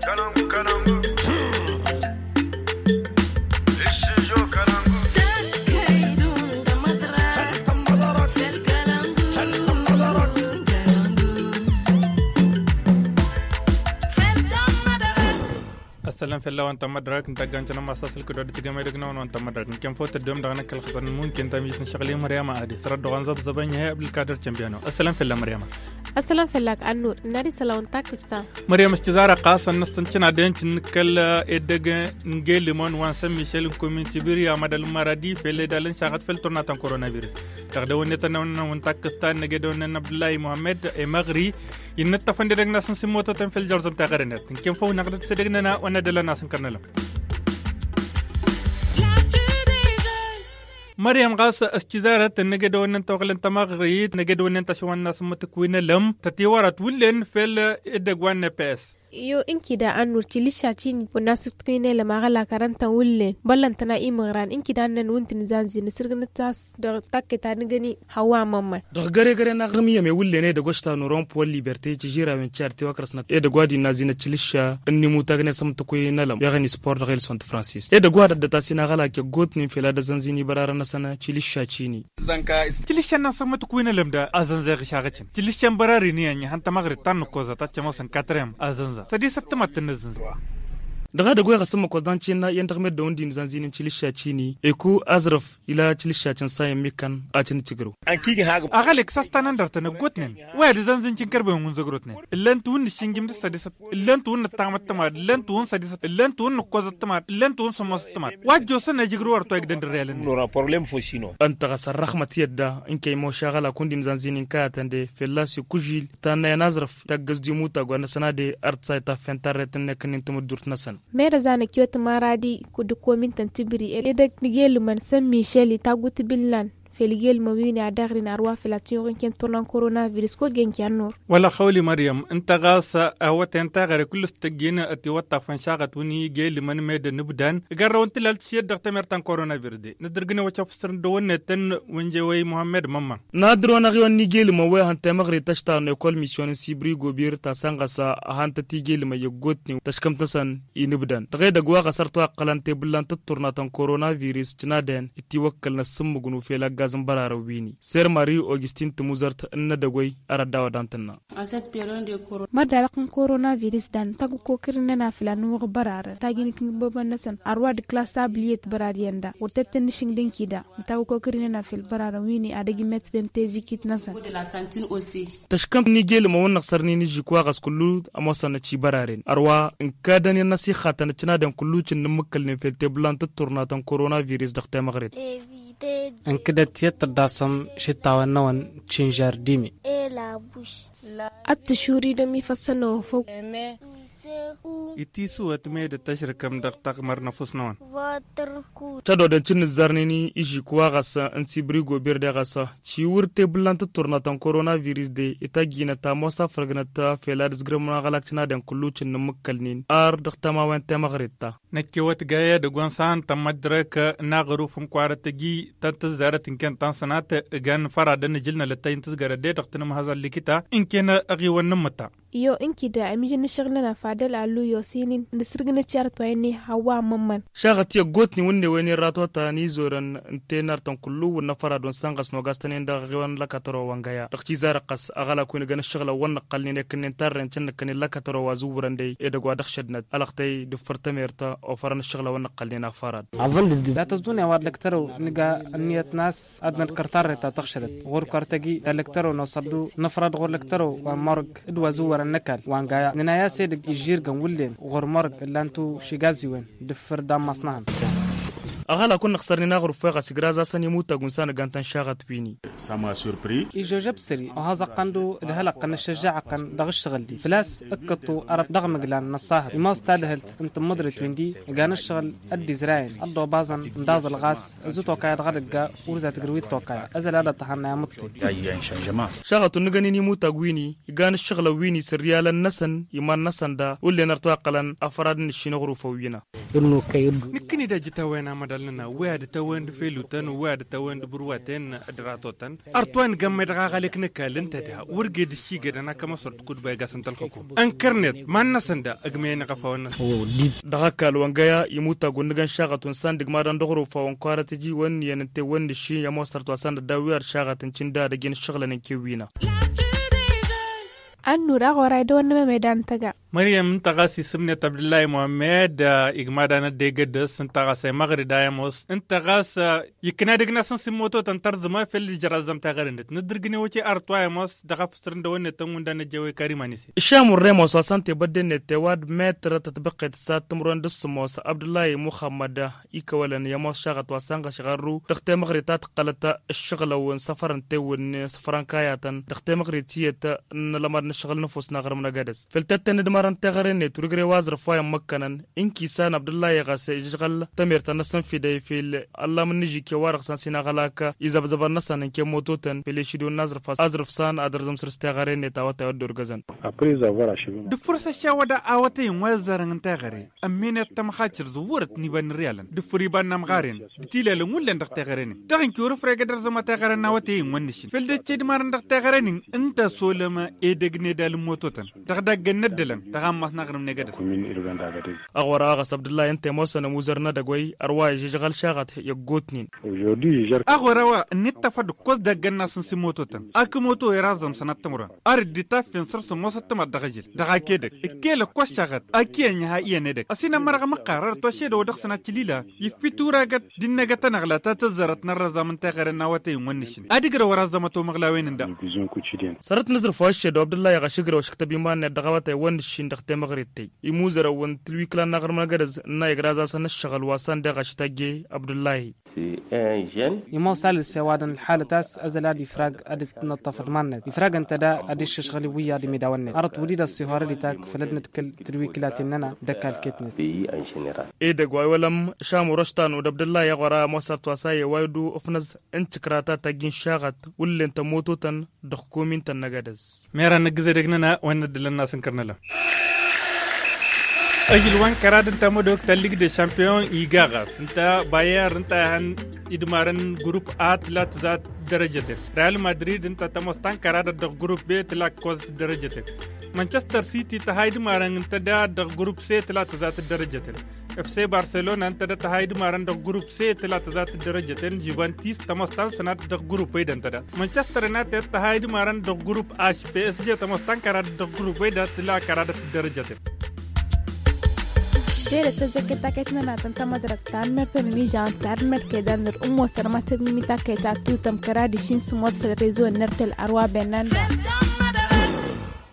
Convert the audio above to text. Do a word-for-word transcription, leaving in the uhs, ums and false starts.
Ăssălam fell-a-wen ta n-mădrak n-tagga n-cănăm asasăl kădodăt gămedăg n-a-wen wa n-ta n-mădrak n-kănfăw tăddewăm dăɣ-năkk ălxăsăn n-munkin ta mijit n-ašăɣli măryama adi sărăt dăɣ-anzăbzăbăn ih'-e abdulkadir cănbiyano. Ăssălam fell-a măryama. Ăssălam fell-ak. Annur n-ad-isăla wa n-takkǝsta. Măryam s-tizara ɣas ad-năssăn cǝnadăn cǝnnǝkkăl edăgg n-gelǝmăn wa n-săn mišel n-komin tibiri amădal n-maradi fel edalăn šaɣăt fel turna ta n-koronavirus. Dăɣ-dăwănnet ănnăwăn n-takkǝsta n-egedăwănnen abdullahi muhammed emăɣri. Innăttăfăn d-edăgg n-asăn s-immotătăn fel jărzăm taɣărănet n-ken făw năɣdăt s-edăgg n-ena wa n-edălăn asăn kărnălăm. Măryăm ɣas s-cizarăt n-egedăwănnen tawăɣlăn tamăɣrit n-egedăwănnen tašăwăn n-asǝmmăt ǝkwinălăm tătiwărăt wullen fel edăgg wa n-eps. Iyo ǝnkida annur tilǝššačini wănna s-ǝkwinălăm aɣălak arăntăn wullen băllăn tăna imăɣran ǝnkida annăn wǝnti n-zanzi n-asǝrgǝnăt-as dăɣ-takkăy ta n-egăni. Hăwa mămmăn. Dăɣ-găre-găre n-aɣrǝm iyyăm ewǝllen edăgg wa s-tanurăwăn puwăn liberte tižirawen ti ar tiwăkrăsnăt edăgg wa d-innă azinăt tilǝšša ǝnnimutagnen s-ămtăkwe n-ălăm i-aɣăni spor dăɣ-ilsăwăn tǝfrănsist edăgg wa d-ăddăt a-s inaɣălak iggotnen fel ad-ăzănzin ibărarăn-năsăn tilǝšša cini. Tilǝšša n-asămătăkwe n-ălăm da azănza iɣǝšaɣăcin tilǝšša n-bărarăn iyyăn ihăn tamăɣrit ta n-nǝkkoẓăt ad-tămoosăn katrem azănza sădisăt tămat tǝnnăzănza. Dăɣ-edăgg wa iɣăs n-imăkkoẓ d-ancǝn iyyăn dăɣ-meddǝn wa n-dd-innă azănzin n-tilǝšša cini eku azrăf ila tilǝšša cǝnsa i-ămmikkăn. Ad-tăn-tǝjrǝw. Aɣălek s-ad-tanăn dăr-tăn ăggootnen wa i-ad-ăzănzǝn cǝnkărbăyăn wa n-zăgrotnen ǝllăn-t wǝnn ǝššǝnjǝm d-sădisăt ǝllăn-t wǝnn ǝttamăt tămad ǝllăn-t wǝnn sădisăt ǝllăn-t wǝnn ǝkkoẓăt tămad ǝllăn-t wǝnn sămoosăt tămad wa ăjjoosăn ejǝgrǝw ar toyăgdăn d-ărrelăn. Ǝnta ɣas ărrăxmăt i-ădda n-kăy-moš aɣălak wǝnn d-inzănzin inkăyătăn de fălla-s ikužil tannăyăn aẓrǝf taggăz d-imutag wa n-asănade ărtsa itaffen tarret n-nekăn n-tamǝddurt-năsăn. Merăza n-ăkiwăt maradi kud-ăkkomintăn tibri edăgg n-igelǝmăn săn mišel itaggu tibǝllan fel igelǝmăn wi n-ad-aɣrin arwa fel ad-tăn-yuɣǝn kănturna n-koronavirus kud-gen kănnur. Wăla xăwli măryăm ǝnta ɣas awăten taɣăre kull-s tăjjin ătiwăṭṭafăn šaɣăt wǝnni igelǝmăn med ănǝbdan ǝgarrăwăn tǝlalt šiyăt dăɣ-temert ta n-koronavirus de nǝdrǝgnen wa cofsărăn dăɣ-wănnetăn wănje wăy muhammed mămma. N-ad-dăr-wăn aɣiwăn n-igelǝmăn wa ihăn temăɣrit tăštawăn ekol misyon n-sibri gobir ta sănɣăs a hantăt igelǝmăn i-ăggootnen tăškămt-năsăn inǝbdăn dăɣ-edăgg wa ɣas ărtăwăqqălăn tebǝllan tǝṭṭurnat n-koronavirus cǝnadăn itiwăkkălăn s-ǝmmǝgnǝw fel ăggaẓ n-bărarăn wi-ni ser mari augustin tămuzărt n-inădăgg wăy ărădda wa dan-tǝnna. Mărdalăɣ n-koronavirus dan tagg ǝkkokăr-in n-anafǝl ad-nǝwwăɣ bărarăn tagg-in ikǝngbăbăn-năsăn ărwa d-klas tabliyăt bărariyăn da wăr tăt-tăn-nǝšǝng d-inkida. Ǝnta a-wa ăkokăr-in ănafel bărarăn wi-ni ad-ăj immătdăn tezikit-năsăn. Tăškăm n-igelǝmăn wa n-năɣsărnen ižžik wa ɣas kullu ămoosăn-năt i-băraren ărwa ǝnkadăn i-ănnăsixatăn ăččănadăn kullu cǝnnǝmmǝkkălnen fel tebǝllan tǝṭṭurnatăn koronavirus dăɣ-temăɣret. Ǝnkǝdăt i-ad-tăddasăm šittawăn-năwăn cinžar d-ime. Ad-tǝšuridăm ifăssăn-năwăn făw. Itisǝwăt med ăttăšrǝkăm dăɣ-taɣmăr n-ăfuss-năwăn. Tădodăn cǝnnǝzzarnen ižžik wa ɣas n-sibrigo birde ɣas ciwǝr tebǝllan tǝṭṭurnatăn koronavirus de itajjinăt ămoos afrăgnăt fel ad-ǝzgrămăn aɣălak cǝnadăn kullu cǝnnǝmmǝkkălnen ar dăɣ-tamawen temăɣret ta. Năkkewăt gaya dăgg-wa n-săn tămmăddărăk n-aɣăruf n-kwarăt ăji ta n-tǝzzarăt n-ken ta n-sănat. Ǝgan făradăn ǝjǝl n-alăttăy n-tǝzgărăt de dăɣ-tǝnǝmhăẓ ăllikǝta n-ken ăɣiwăn n-imǝṭṭa. Iyo ǝnkǝda ămijăn n-ašăɣǝl-nănăɣ fadăl allu i-osǝynin n-asǝrgǝnăt i-arăt wa innă i-hawwa amămmăn. Šaɣăt i-ăggootnen wǝnnewen i-ărratwăta n-izorăn n-tenăr-tăn kullu wǝnnă fărad wa n-sănɣăs n-ogas-tăn-en dăɣ-aɣiwăn n-lăkatăro wa n-găya dăɣ-tizarăɣ ɣas ăɣălak wi n-ǝgăn ǝššăɣǝlăn wa n-nǝqqălnen i-kǝnnen tarren cǝnnǝkkăn i-lăkatăro wa zǝwwărăn de edăgg wa dăɣ-šădnăt alăɣtăy d-ǝffǝr tămert ofărăn ǝššăɣǝlăn wa n-nǝqqălnen a fărad. Dat-ăẓẓuneɣ wa d-lăktărăw nǝga ǝnniyăt n-a-s ad-nǝḍkăr tarret ta tăɣšădăt ɣur-kăr tăgi ta lăktărăw n-oṣăddu năfrăd ɣur-lăktărăw wa n-mărg d-wa zǝwwărăn n-ăkall wa n-gaya nǝnay'-as edăgg ižžirgăn wǝllen ɣur-mărg ǝllan-tu šigaziwen d-ǝffǝr d-ammas n-ehăn. Ăɣălak wǝnnăɣ sărnen aɣrǝf wa ɣas igraẓ-asăn imutag wa n-sanăggan-tăn šaɣăt wi-ni. Ižžožăb sări ohaẓăɣ-tăn-du d-hălăɣ-tăn ăššăžžaɣăɣ-tăn dăɣ-ǝššăɣǝl-di făl-a-s ǝkkăṭṭu ărăt dăɣ-imǝglan n-ăṣṣahăt imaw s-tadhǝlt n-tǝmmǝḍrit wi n-di. Ǝgan ǝššăɣǝl ăddizrayăn ăḍḍobăẓăn ǝnḍaẓăl ɣas ǝzǝt okăy ad-dăɣ-ad-ǝgga wăr zatǝgrǝw-dd tokăya ăzăl ad-ăṭṭăhăn a imǝṭṭi. Šaɣăt wǝnnǝgăn-in imutag wi-ni igan ǝššăɣǝlăn wi-ni s-ǝrriyalăn-năsăn iman-năsăn da wǝllen ărtăwăqqălăn afărad n-ǝššin aɣrufăn wi-năɣ. Nǝkkǝni d-ajǝtawăyăn amăḍa. Wi ad-tăwăn d-felutăn wi ad-tăwăn d-bărwaten d-ratotăn. Ărtwa n-gămme dăɣ-aɣălek n-ăkall ǝnta da wăr ged ǝššigădăn akămăsăr d-kudba igasăn tălxăkum. Ănkărnet ma n-năsăn da ăgmăyăn iɣăfawăn-năsăn. Dăɣ-ăkall wa n-găya imutag wăr nǝgăn šaɣăt wăn san d-igmadăn dăɣ-uruf wa n-kăwarăt iji wăr nǝyăn ǝnta i-wăr nǝšši i-ămoos ărtwa san d-ădda wi ar šaɣăt n-cin da dăgg-en ǝššăɣǝlăn n-kewwina. Ănnur aɣora idăwăn n-emămeda n-tăga. Măryăm ǝnta ɣas isǝmnet abdǝllahi muhammed. Igmadan ădda egădăs ǝnta ɣas emăɣri da i-ămoos ǝnta ɣas ikna dăgg-nasăn s-immototăn tărzǝma fel ijăr azzăm taɣăre-net nǝddǝrgǝn i-wăce arăt wa i-ămoos dăɣ-afǝsrǝn dăwănnet tănwǝnda n-ejăwăy karimani-se. Išam urrem wa s-wa s-ănta ebădde-net tewad metră tătbăqqet s-ad-tǝmrǝwăn d-ǝssǝmos abdǝllahi muxămmăd. Ikăwălăn i-ămoos šaɣăt wa s-ănɣăš ɣărru dăɣ-temăɣrit ta tǝqqălăt ǝššăɣǝlăw n-săfăr n-tewǝnne săfăr n-kayatăn dăɣ-temăɣrit tiyyăt n-alămad n-ǝššăɣǝl n-ăfuss n-aɣrǝm n-egădăs. Făll-tăttăn d-imărăn teɣăre-net wăr ǝjrăy wa aẓrǝf wa i-ămmăkkănăn. Ǝnki s-an abdǝllahi ɣas ijăžɣăl tamert-a-năsăn fidăy fil-ăllam n-inǝžike wa dăɣ-san s-inaɣălak izăbzăbăn-năsăn n-kemmototăn fil-išidǝw n-aẓrǝf. Aẓrǝf s-an ad-ărzǝmsăr s-teɣăre-net awătay wa dd-orgăzăn. Dăɣ-făr s-ăššawăd awătay n-wa izzarăn n-teɣăre ămminet tămxačăr zǝwwărăt n-iba n-irriyalăn dăɣ-făr iba n-amɣaren d-tilelăn wullen dăɣ-teɣăre-net dăɣ-inki wăr-ǝfregăd ărzăma teɣăre n-awătay n-wăn nǝššin făll-dăr-s edmarăn dăɣ-teɣăre-nin. Ǝnta s-olăm edăgg n-edal n-mototăn dăɣ-daggăn n-ăddălăn dăɣ-ammas n-aɣrǝm n-egădăs. Aɣora a ɣas abdǝllahi ǝnta i-ămoosăn ămuzăr n-edăgg wa ărwa ižžăžɣăl šaɣăt i-ăggootnen. Aɣora wa ǝnnittăfăd ǝkkoẓ daggăn n-asǝnsi mototăn akǝmoto iraẓăm sănat timǝrwen ar dd-itaffen săr-s ămoos ăttămăḍ dăɣ-ažǝl dăɣ-ak edăgg ǝkkel ǝkkoẓ šaɣăt. Ak iyyăn iha iyyăn edăgg ăsinămmărăɣ măqqar ărăt wa šedăw dăɣ-săn ad-t-lila iffit uragăt d-innăgăt ănăɣla ta tǝzzărăt n-ărrăẓam n-teɣăre n-awătay n-wăn nǝššǝn ad-ǝgrăw ăraẓăm ătomăɣlawen-in da. Sărăt n-aẓrǝf wa ǝššedăw abdǝllahi ɣaš ǝgrăw ăšǝktăb iman-net dăɣ-awătay wăn nǝššin dăɣ-temăɣret tey imuzărăwăn tǝlwiklan n-aɣrǝm n-egădăz ǝnna igrăẓ-asăn ǝššăɣǝl wa s-anda ɣaš-tajje. Abdǝllahi. Imoos alǝs i-ăwadǝm ălxalăt a-s ăzăl ad-ifrag ad-dd-nǝṭṭăf d-iman-net ifrag ǝnta da ad-iššăšɣǝl iwǝyyaḍ imidawăn-net arăt wăr-dd-ăṣṣihor ad-itak făll-ad-nǝdkǝl tǝdwikǝlaten-nănăɣ d-ăkall ket-net. Edăgg wa iwălăm šamur ăštanu d-abdǝllahi i-aɣora ămoos ărăt wa s-a i-ăwaydu ǝfnăẓ n-tikrata tajjin šaɣăt wǝllen tămmototăn dăɣ-komin-tăn n-egădăz. Mera n-ǝggǝz edăgg-nănăɣ wa n-ăddălăn n-asǝnkăr n-ălam. Ăžǝl wa n-kăraḍ ǝnta mădok ta lig de šampiyon iga ɣas ǝnta bayer ǝnta a ihăn idmarăn grup a tǝla tǝza d-dărăjăten real madrid ǝnta tămoos ta n-kăraḍăt dăɣ-grup be tǝla ǝkkoẓăt d-dărăjăten. Manchester city tǝha idmarăn ǝnta da dăɣ-grup se tǝla tǝza d-dărăjăten. Fc barcelona ǝnta da tǝha idmarăn dăɣ-grup se tǝla tǝza d-dărăjăten juventus tămoos ta n-sănat dăɣ-grup ed ǝnta da manchester united tǝha idmarăn dăɣ-grup aš psg tămoos ta n-kăraḍăt dăɣ-grup ed a tǝla kăraḍăt d-dărăjăten. Dere tăzzăket taket n-ănatăn tamădrăt ta n-mărtăn n-ižan ta n-mărke d-anăr ǝmmos tărmatăn n-imitaket ta tutăm kăraḍ išin sǝmot făll-rezo n-nărtăl arwa benanda.